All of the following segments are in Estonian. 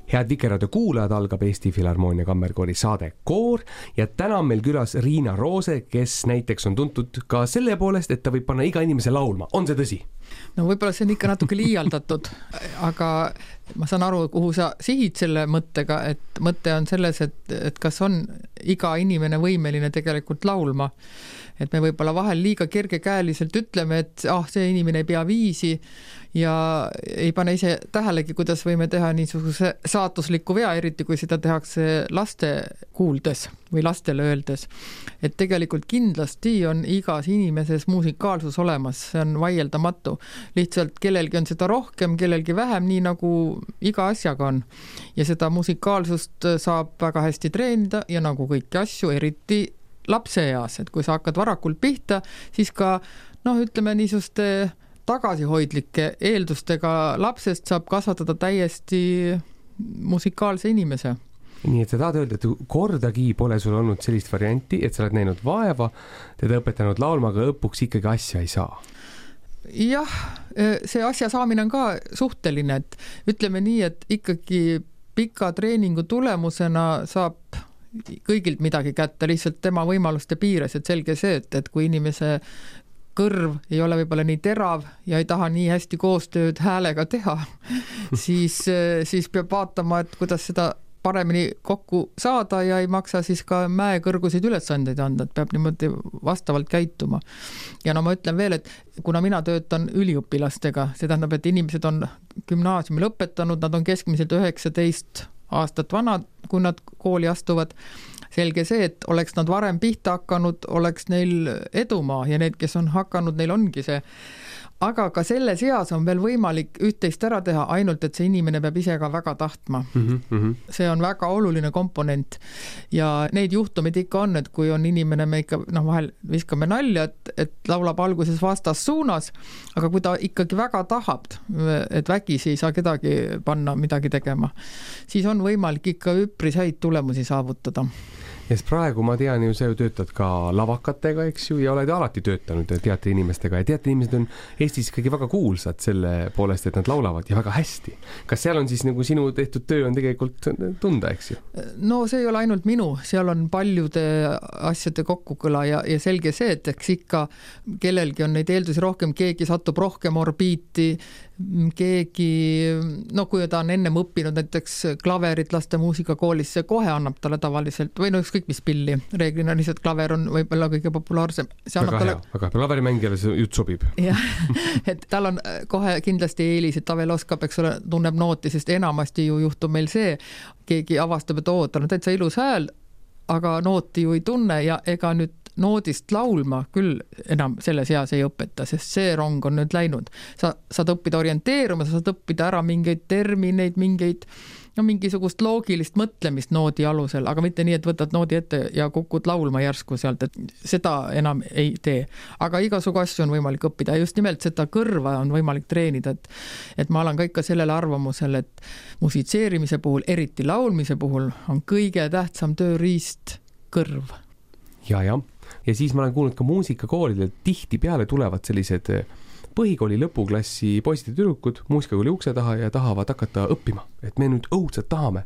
Head Vikerraadio kuulajad, algab Eesti Filharmoonia Kammerkoori saade Koor ja täna on meil külas Riina Roose, kes näiteks on tuntud ka selle poolest, et ta võib panna iga inimese laulma. On see tõsi? No võib-olla see on ikka natuke liialdatud, aga ma saan aru, kuhu sa sihid selle mõttega, et mõte on selles, et kas on iga inimene võimeline tegelikult laulma. Et me võib-olla vahel liiga kergekäeliselt ütleme, et see inimene ei pea viisi ja ei pane ise tähelegi, kuidas võime teha niisuguse saatusliku vea, eriti kui seda tehakse laste kuuldes või lastele öeldes. Et tegelikult kindlasti on igas inimeses muusikaalsus olemas, see on vaieldamatu. Lihtsalt kellelgi on seda rohkem, kellelgi vähem, nii nagu iga asjaga on. Ja seda muusikaalsust saab väga hästi treenida ja nagu kõiki asju, eriti lapse eas, et kui sa hakkad varakult pihta, siis ka, ütleme niisuste tagasihoidlike eeldustega lapsest saab kasvatada täiesti musikaalse inimese. Nii et sa tahad öelda, et kordagi pole sul olnud sellist varianti, et sa oled näinud vaeva, teda õpetanud laulma, aga õpuks ikkagi asja ei saa. Jah, see asja saamine on ka suhteline, et ütleme nii, et ikkagi pika treeningu tulemusena saab kõigilt midagi kätte, lihtsalt tema võimaluste piires, et selge see, et kui inimese kõrv ei ole võib-olla nii terav ja ei taha nii hästi koostööd häälega teha, siis peab vaatama, et kuidas seda paremini kokku saada ja ei maksa siis ka mäekõrgusid ülesandeid anda, et peab niimoodi vastavalt käituma. Ja ma ütlen veel, et kuna mina töötan üliõpilastega, see tähendab, et inimesed on gümnaasiumi lõpetanud, nad on keskmiselt 19 aastat vanad, kui nad kooli astuvad. Selge see, et oleks nad varem pihta hakanud, oleks neil edumaa ja need, kes on hakanud, neil ongi see. Aga ka selle seas on veel võimalik üht-teist ära teha, ainult et see inimene peab ise ka väga tahtma. See on väga oluline komponent. Ja neid juhtumid ikka on, et kui on inimene, me ikka vahel viskame nalja, et laulab alguses vastas suunas, aga kui ta ikkagi väga tahab, et vägisi ei saa kedagi panna midagi tegema, siis on võimalik ikka üpris häid tulemusi saavutada. Ja praegu ma tean ju, sa töötad ka lavakatega, eks ju, ja oled alati töötanud teatri inimestega ja teatri inimesed on Eestis ikkagi väga kuulsad selle poolest, et nad laulavad ja väga hästi. Kas seal on siis nagu sinu tehtud töö on tegelikult tunda, eks ju? No see ei ole ainult minu, seal on paljude asjade kokkukõla ja selge see, et eks ikka kellelgi on neid eeldusi rohkem, keegi satub rohkem orbiiti, keegi, kui ta on ennem õppinud näiteks klaverit laste muusikakoolis, see kohe annab talle tavaliselt, või ükskõik mis pilli, reeglina lihtsalt klaver on võib-olla kõige populaarsem. Väga hea, klaverimängijale see jutt sobib. Jah, et tal on kohe kindlasti eelis, et ta veel oskab, eks ole, tunneb nooti, sest enamasti ju juhtub meil see, keegi avastab, et tal on täitsa ilus hääl, aga nooti ju ei tunne ja ega nüüd noodist laulma küll enam selles eas ei õpeta, sest see rong on nüüd läinud. Sa saad õppida orienteeruma, sa saad õppida ära mingeid termineid, mingisugust loogilist mõtlemist noodi alusel, aga mitte nii, et võtad noodi ette ja kukud laulma järsku sealt, et seda enam ei tee. Aga igasugu asju on võimalik õppida ja just nimelt seda kõrva on võimalik treenida, et ma olen ka ikka sellele arvamusel, et musitseerimise puhul, eriti laulmise puhul on kõige tähtsam tööriist kõrv. Ja siis ma olen kuulnud ka muusikakoolidel tihti peale tulevad sellised põhikooli lõpuklassi poisid ja tüdrukud muusikakooli ukse taha ja tahavad hakata õppima, et me nüüd õudselt tahame.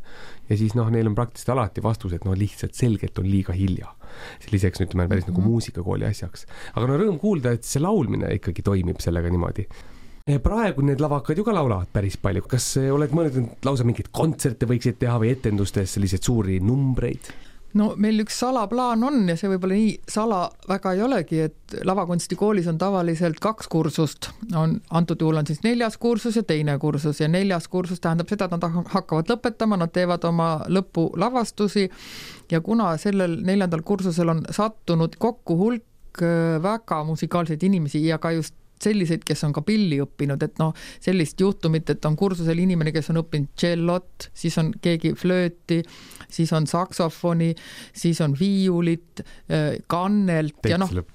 Ja siis neil on praktiliselt alati vastus, et lihtsalt selgelt on liiga hilja. Selliseks ütleme päris nagu muusikakooli asjaks. Aga rõõm kuulda, et see laulmine ikkagi toimib sellega niimoodi. Praegu need lavakad ju ka laulavad päris palju. Kas oled mõelnud, et lausa mingeid kontserte võiksid teha või etendustes sellised suuri numbreid? No meil üks salaplaan on ja see võib-olla nii sala väga ei olegi, et lavakunstikoolis on tavaliselt 2 kursust. Antud juhul on siis 4. kursus ja 2. kursus ja 4. kursus tähendab seda, et nad hakkavad lõpetama, nad teevad oma lõpulavastusi ja kuna sellel 4. kursusel on sattunud kokku hulk väga musikaalseid inimesi ja ka just selliseid, kes on ka pilli õppinud, et sellist juhtumit, et on kursusel inimene, kes on õppinud tšellot, siis on keegi flööti, siis on saksofoni, siis on viiulit, kannelt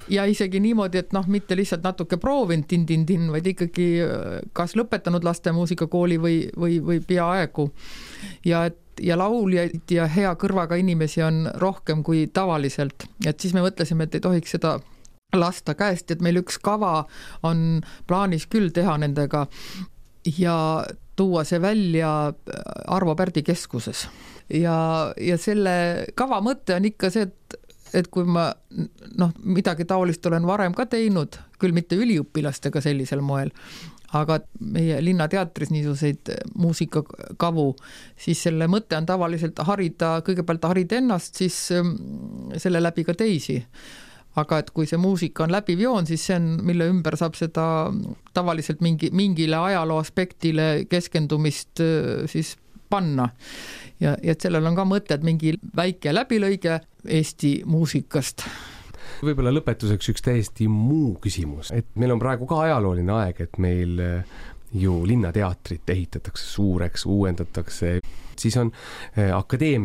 ja isegi niimoodi, et mitte lihtsalt natuke proovinud tin-tin-tin, vaid ikkagi kas lõpetanud laste muusikakooli või peaaegu. Ja lauljaid ja hea kõrvaga inimesi on rohkem kui tavaliselt, et siis me mõtlesime, et ei tohiks seda lasta käest, et meil üks kava on plaanis küll teha nendega ja tuua see välja Arvo Pärdi keskuses. Ja selle kava mõte on ikka see, et kui ma midagi taolist olen varem ka teinud, küll mitte üliõpilastega sellisel moel, aga meie linnateatris niisuguseid muusikakavu, siis selle mõte on tavaliselt kõigepealt harida ennast, siis selle läbi ka teisi. Aga et kui see muusika on läbiv joon, siis see on, mille ümber saab seda tavaliselt mingile ajaloo aspektile keskendumist siis panna. Ja et sellel on ka mõte, et mingi väike läbilõige Eesti muusikast. Võib-olla lõpetuseks üks täiesti muu küsimus, et meil on praegu ka ajalooline aeg, et meil ju linnateatrit ehitatakse suureks, uuendatakse, siis on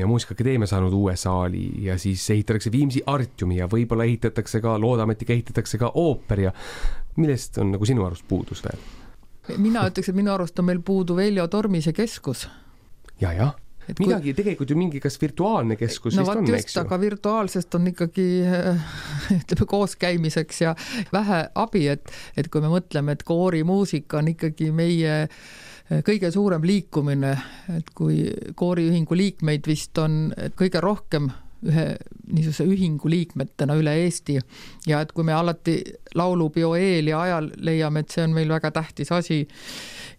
Muusikaakadeemia saanud uue saali ja siis ehitatakse Viimsi Artiumi ja võib-olla ehitatakse ka, loodametiga ehitatakse ka ooper ja millest on nagu sinu arust puudus veel? Mina ütleks, et minu arust on meil puudu Veljo Tormise keskus. Ja. Midagi tegelikult ju mingi kas virtuaalne keskus vist on, eks ju? Aga virtuaalsest on ikkagi koos käimiseks ja vähe abi, et kui me mõtleme, et koorimuusika on ikkagi meie kõige suurem liikumine, et kui kooriühingu liikmeid vist on kõige rohkem ühe niisuguse ühingu liikmetena üle Eesti ja et kui me alati laulupeo eel ja ajal leiame, et see on meil väga tähtis asi,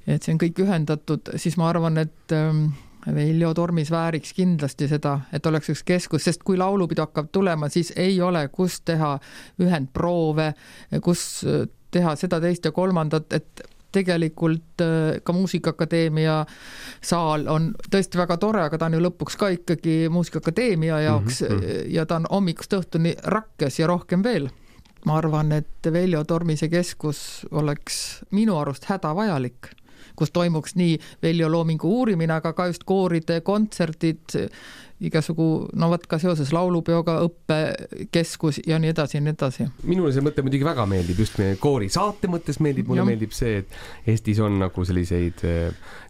et see on kõik ühendatud, siis ma arvan, et Veljo Tormis vääriks kindlasti seda, et oleks üks keskus, sest kui laulupidu hakkab tulema, siis ei ole kus teha ühendproove, kus teha seda, teist ja kolmandat, et tegelikult ka Muusikaakadeemia saal on tõesti väga tore, aga ta on ju lõpuks ka ikkagi Muusikaakadeemia jaoks ja ta on hommikust õhtuni rakkes ja rohkem veel. Ma arvan, et Veljo Tormise keskus oleks minu arust hädavajalik, kus toimuks nii Veljo loomingu uurimine, aga ka just kooride, kontserdid, igasugu, ka seoses laulupeoga õppekeskus ja nii edasi ja nii edasi. Minule see mõte muidugi väga meeldib, just meie koori saate mõttes meeldib, mulle meeldib see, et Eestis on nagu selliseid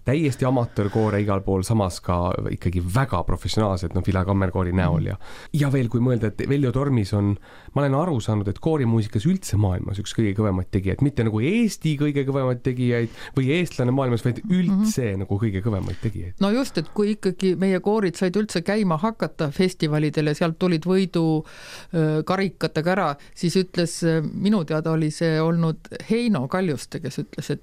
täiesti amatöörkoore igal pool, samas ka ikkagi väga professionaalsed, Vila Kammerkoori näol ja veel kui mõelda, et Veljo Tormis on, ma olen aru saanud, et koorimuusikas üldse maailmas üks kõige kõvemaid tegijaid, mitte nagu Eesti kõige kõvemaid tegijaid või eestlane maailmas, vaid üldse nagu kõige kõvemaid tegijaid. No just, et kui ikkagi meie koorid said üldse käima hakata festivalidele, sealt tulid võidu karikatega ära, siis ütles, minu teada oli see olnud Heino Kaljuste, kes ütles,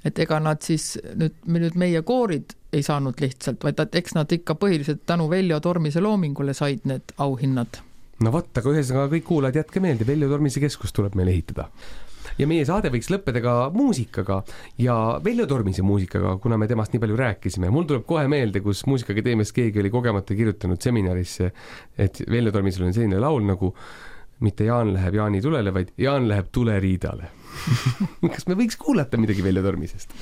et ega nad siis nüüd meie koorid ei saanud lihtsalt, vaid eks nad ikka põhiliselt tänu Veljo Tormise loomingule said need auhinnad. No võtta, aga ühesõnaga kõik kuulajad jätke meelde, Veljo Tormise keskus tuleb meil ehitada. Ja meie saade võiks lõppeda ka muusikaga ja Veljo Tormise muusikaga, kuna me temast nii palju rääkisime. Mul tuleb kohe meelde, kus Muusikaakadeemias keegi oli kogemata kirjutanud seminarisse, et Veljo Tormisel on selline laul nagu mitte Jaan läheb Jaani tulele, vaid Jaan läheb tuleriidale. Kas me võiks kuulata midagi Veljo Tormisest?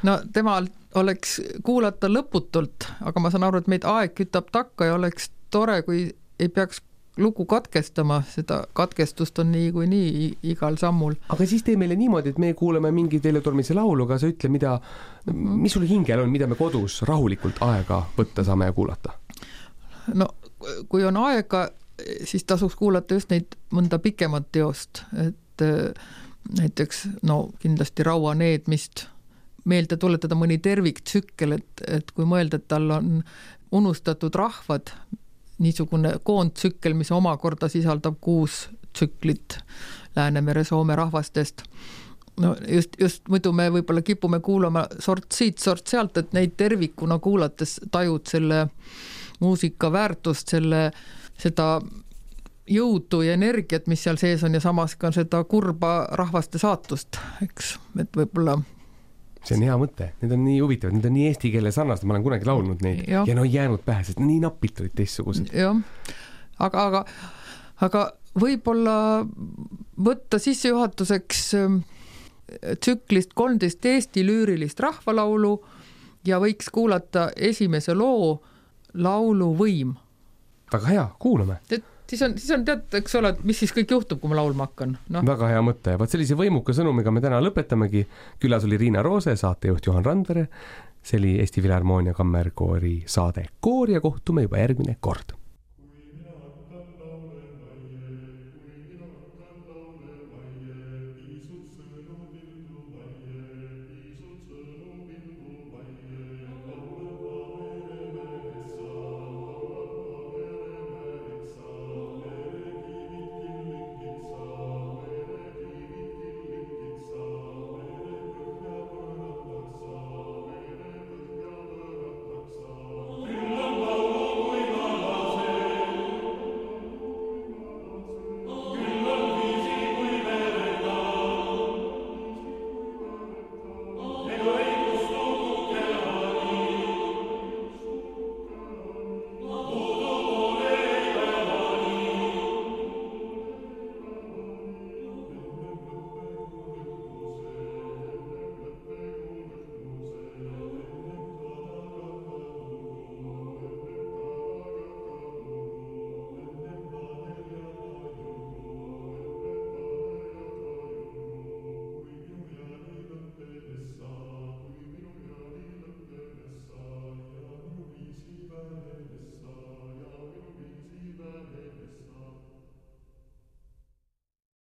No temal oleks kuulata lõputult, aga ma saan aru, et meid aeg kütab takka ja oleks tore, kui ei peaks lugu katkestama, seda katkestust on nii igal sammul. Aga siis tee meile niimoodi, et me kuuleme mingi Veljo Tormise laulu, aga sa ütle, mis sul hingel on, mida me kodus rahulikult aega võtta saame ja kuulata? No kui on aega, siis tasuks kuulata just neid mõnda pikemat teost, et näiteks kindlasti Raua needmist, meelde tuletada mõni terviktsükkel, et kui mõelda, et tal on unustatud rahvad, niisugune koondtsükkel, mis omakorda sisaldab 6 tsüklit Läänemere Soome rahvastest. No just muidu me võib-olla kipume kuulama sort siit, sort sealt, et neid tervikuna kuulates tajud selle muusika väärtust, seda jõudu ja energiat, mis seal sees on ja samas ka seda kurba rahvaste saatust, eks, et võib-olla see on hea mõte, need on nii huvitavad, need on nii eesti keele sarnased, ma olen kunagi laulnud neid ja jäänud pähe, sest nii napilt olid teistsugused. Jah, aga võib-olla võtta sissejuhatuseks tsüklist 13 Eesti lüürilist rahvalaulu ja võiks kuulata esimese loo Laulu võim. Väga hea, kuulame. Siis on tead, eks ole, mis siis kõik juhtub, kui ma laulma hakkan. No. Väga hea mõte. Vaat sellise võimuka sõnumiga me täna lõpetamegi. Külas oli Riina Roose, saatejuht Juhan Randvere. See oli Eesti Filharmoonia Kammerkoori saade Koor ja kohtume juba järgmine kord.